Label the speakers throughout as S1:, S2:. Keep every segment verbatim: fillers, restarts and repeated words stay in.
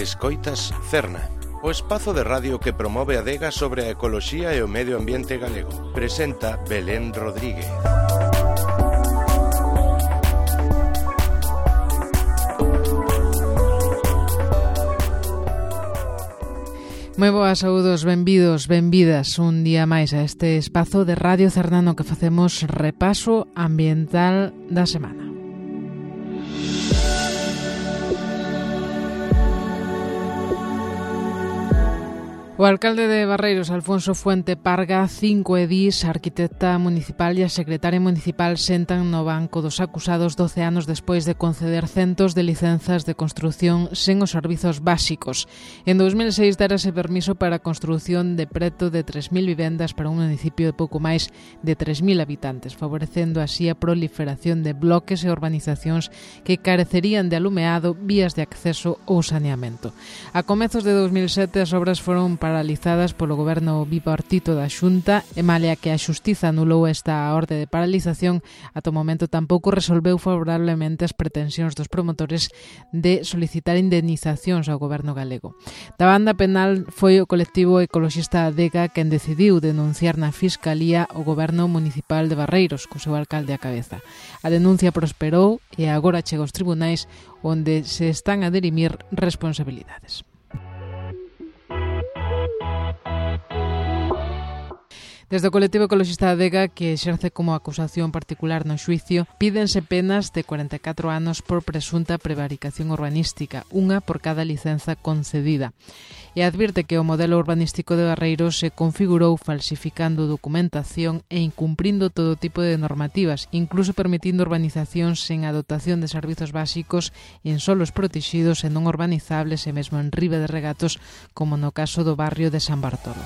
S1: Escoitas Cerna, o espazo de radio que promove a adega sobre a ecoloxía e o medio ambiente galego. Presenta Belén Rodríguez.
S2: Moi boas, saúdos, benvidos, benvidas un día máis a este espazo de Radio Cernano que facemos repaso ambiental da semana. O alcalde de Barreiros, Alfonso Fuente Parga, cinco edís, a arquitecta municipal e a secretaria municipal sentan no banco dos acusados doce anos despois de conceder centos de licenzas de construción sen os servizos básicos. En dos mil seis darase permiso para a construción de preto de tres mil vivendas para un municipio de pouco máis de tres mil habitantes, favorecendo así a proliferación de bloques e urbanizacións que carecerían de alumeado, vías de acceso ou saneamento. A comezos de dos mil sete as obras foron paralizadas polo goberno bipartito da Xunta e malia que a Xustiza anulou esta orde de paralización, ata o momento tampouco resolveu favorablemente as pretensións dos promotores de solicitar indemnizacións ao goberno galego. Da banda penal foi o colectivo ecoloxista Adega quen decidiu denunciar na Fiscalía o goberno municipal de Barreiros, co seu alcalde á cabeza. A denuncia prosperou e agora chega aos tribunais onde se están a dirimir responsabilidades. Desde o colectivo ecoloxista Adega, que exerce como acusación particular no xuicio, pídense penas de cuarenta e catro anos por presunta prevaricación urbanística, unha por cada licenza concedida. E advirte que o modelo urbanístico de Barreiros se configurou falsificando documentación e incumprindo todo tipo de normativas, incluso permitindo urbanizacións sen a dotación de servizos básicos en solos protegidos e non urbanizables e mesmo en riba de regatos, como no caso do barrio de San Bartolo.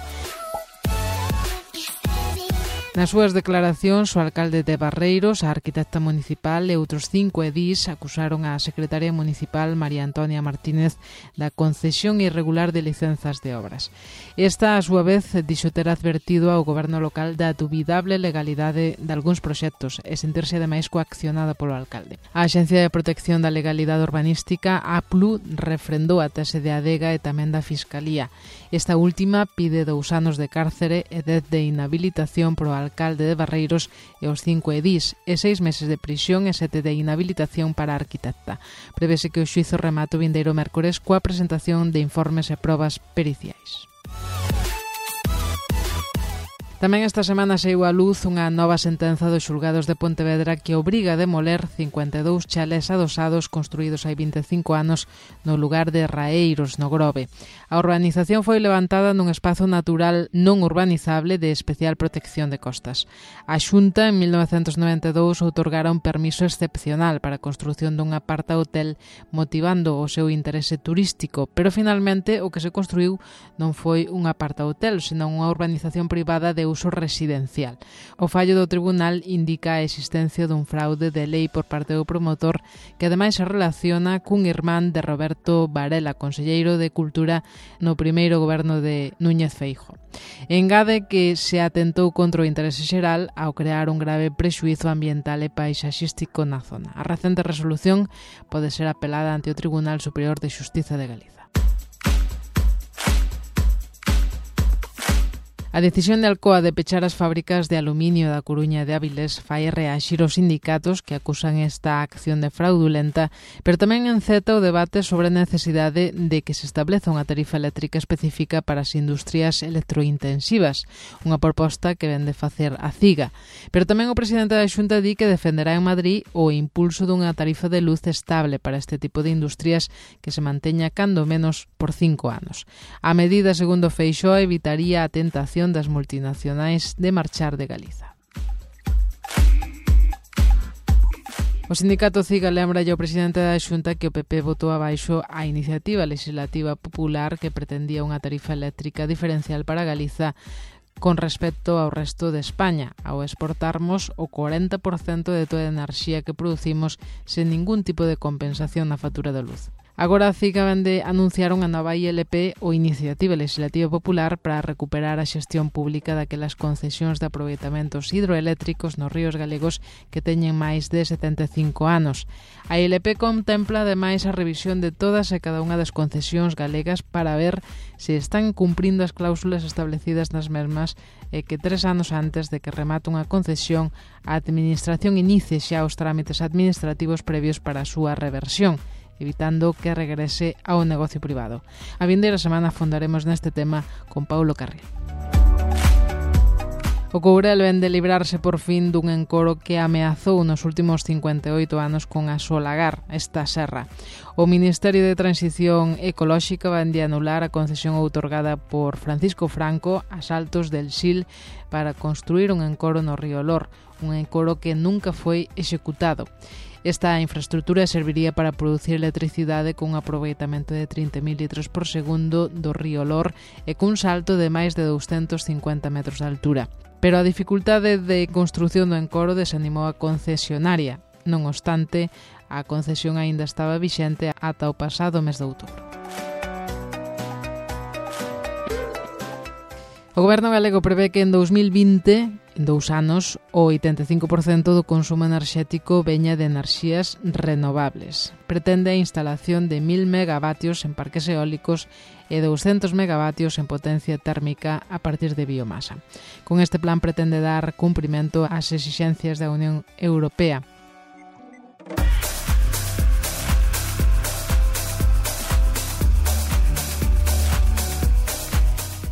S2: Nas súas declaracións, o alcalde de Barreiros, a arquitecta municipal e outros cinco edís acusaron a secretaria municipal María Antonia Martínez da concesión irregular de licenzas de obras. Esta, a súa vez, dixo ter advertido ao goberno local da dubidable legalidade de algúns proxectos e sentirse ademais coaccionada polo alcalde. A Axencia de Protección da Legalidade Urbanística, A P L U, refrendou a tese de Adega e tamén da Fiscalía. Esta última pide dous anos de cárcere e dez de inhabilitación pro alcalde de Barreiros e os cinco edís, e seis meses de prisión e sete de inhabilitación para a arquitecta. Prevese que o xuízo remate o vindeiro mércores coa presentación de informes e probas periciais. Tamén esta semana saiu á luz unha nova sentenza dos xulgados de Pontevedra que obriga a demoler cincuenta e dous chalés adosados construídos hai vinte e cinco anos no lugar de Raeiros, no Grove. A urbanización foi levantada nun espazo natural non urbanizable de especial protección de costas. A Xunta, en mil novecentos noventa e dous, outorgara un permiso excepcional para a construción dun aparta-hotel motivando o seu interese turístico, pero finalmente o que se construiu non foi un aparta-hotel, senón unha urbanización privada de uso residencial. O fallo do tribunal indica a existencia dun fraude de lei por parte do promotor que ademais se relaciona cun irmán de Roberto Varela, conselleiro de Cultura no primeiro goberno de Núñez Feijóo. Engade que se atentou contra o interese xeral ao crear un grave prexuízo ambiental e paisaxístico na zona. A recente resolución pode ser apelada ante o Tribunal Superior de Xustiza de Galiza. A decisión de Alcoa de pechar as fábricas de aluminio da Coruña e de Avilés fai reaxir os sindicatos que acusan esta acción de fraudulenta, pero tamén enceta o debate sobre a necesidade de que se estableza unha tarifa eléctrica específica para as industrias electrointensivas, unha proposta que vende facer a CIGA. Pero tamén o presidente da Xunta di que defenderá en Madrid o impulso dunha tarifa de luz estable para este tipo de industrias que se manteña cando menos por cinco anos. A medida, segundo Feixóo, evitaría a tentación das multinacionais de marchar de Galiza. O sindicato CIGA lembra ao presidente da Xunta que o P P votou abaixo a iniciativa legislativa popular que pretendía unha tarifa eléctrica diferencial para Galiza con respecto ao resto de España, ao exportarmos o cuarenta por cento de toda a enerxía que producimos sen ningún tipo de compensación na factura de luz. Agora a CIGA vende anunciar unha nova I L P ou Iniciativa Legislativa Popular para recuperar a xestión pública daquelas concesións de aproveitamentos hidroeléctricos nos ríos galegos que teñen máis de setenta e cinco anos. A I L P contempla ademais a revisión de todas e cada unha das concesións galegas para ver se están cumprindo as cláusulas establecidas nas mesmas e que tres anos antes de que remate unha concesión a Administración inicie xa os trámites administrativos previos para a súa reversión, evitando que regrese ao negocio privado. A vindeira semana afondaremos neste tema con Paulo Carril. O Courel ven de librarse por fin dun encoro que ameazou nos últimos cincuenta e oito anos con asolagar esta serra. O Ministerio de Transición Ecolóxica van de anular a concesión outorgada por Francisco Franco a Saltos del Sil para construir un encoro no río Lor, un encoro que nunca foi executado. Esta infraestructura serviría para producir electricidade cun aproveitamento de trinta mil litros por segundo do río Lor e cun salto de máis de douscentos cincuenta metros de altura. Pero a dificultade de construción do encoro desanimou a concesionaria. Non obstante, a concesión aínda estaba vixente ata o pasado mes de outubro. O Goberno galego prevé que en dous mil vinte, en dous anos, o oitenta e cinco por cento do consumo enerxético veña de enerxías renovables. Pretende a instalación de mil megavatios en parques eólicos e douscentos megavatios en potencia térmica a partir de biomasa. Con este plan pretende dar cumprimento ás exixencias da Unión Europea.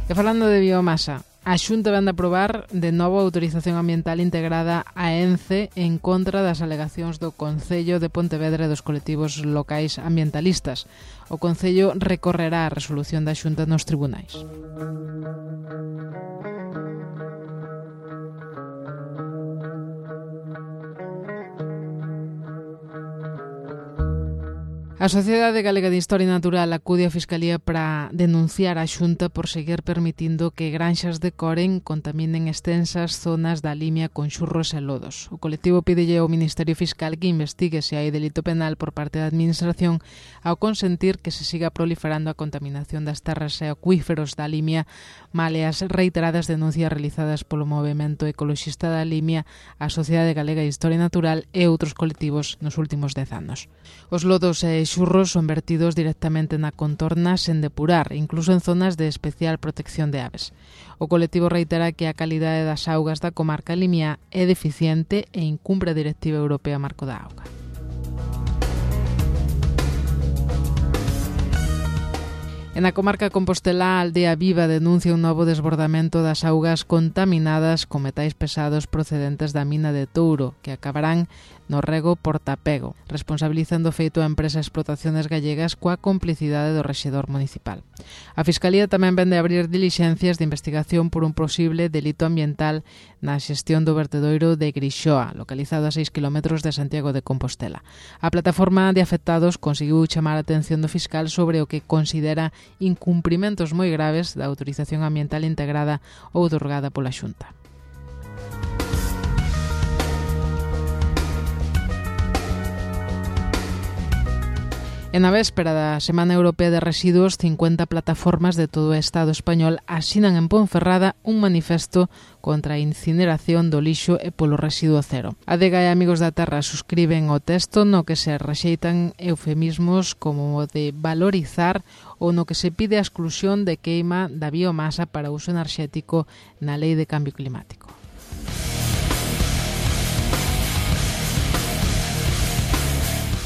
S2: E falando de biomasa, a Xunta vende a aprobar de novo a autorización ambiental integrada a ENCE en contra das alegacións do Concello de Pontevedra e dos colectivos locais ambientalistas. O Concello recorrerá a resolución da Xunta nos tribunais. A Sociedade Galega de Historia Natural acude á Fiscalía para denunciar a Xunta por seguir permitindo que granxas decoren contaminen extensas zonas da Limia con xurros e lodos. O colectivo pídelle ao Ministerio Fiscal que investigue se hai delito penal por parte da Administración ao consentir que se siga proliferando a contaminación das terras e acuíferos da Limia, male as reiteradas denuncias realizadas polo movemento ecoloxista da Limia, a Sociedade Galega de Historia Natural e outros colectivos nos últimos dez anos. Os lodos e xurros son vertidos directamente na contorna sen depurar, incluso en zonas de especial protección de aves. O colectivo reitera que a calidade das augas da comarca limia é deficiente e incumpre a Directiva Europea Marco da Auga. En a comarca compostelá, a Aldea Viva denuncia un novo desbordamento das augas contaminadas con metais pesados procedentes da mina de Touro, que acabarán no rego Portapego, responsabilizando o feito a empresa Explotaciones Gallegas coa complicidade do rexedor municipal. A Fiscalía tamén vende abrir dilixencias de investigación por un posible delito ambiental na xestión do vertedoiro de Grixoa, localizado a seis kilómetros de Santiago de Compostela. A plataforma de afectados conseguiu chamar a atención do fiscal sobre o que considera incumprimentos moi graves da autorización ambiental integrada ou outorgada pola Xunta. En a véspera da Semana Europea de Residuos, cincuenta plataformas de todo o Estado español asinan en Ponferrada un manifesto contra a incineración do lixo e polo residuo cero. A Adega e Amigos da Terra suscriben o texto no que se rexeitan eufemismos como o de valorizar ou no que se pide a exclusión de queima da biomasa para uso enerxético na Lei de Cambio Climático.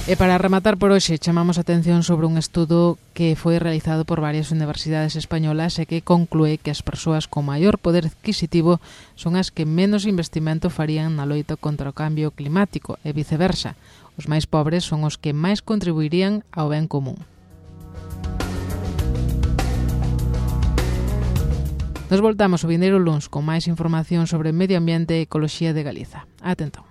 S2: E para rematar por hoxe, chamamos a atención sobre un estudo que foi realizado por varias universidades españolas e que conclúe que as persoas con maior poder adquisitivo son as que menos investimento farían na loita contra o cambio climático e viceversa. Os máis pobres son os que máis contribuirían ao ben común. Nos voltamos o vindeiro luns con máis información sobre medio ambiente e ecoloxía de Galiza. Atentón.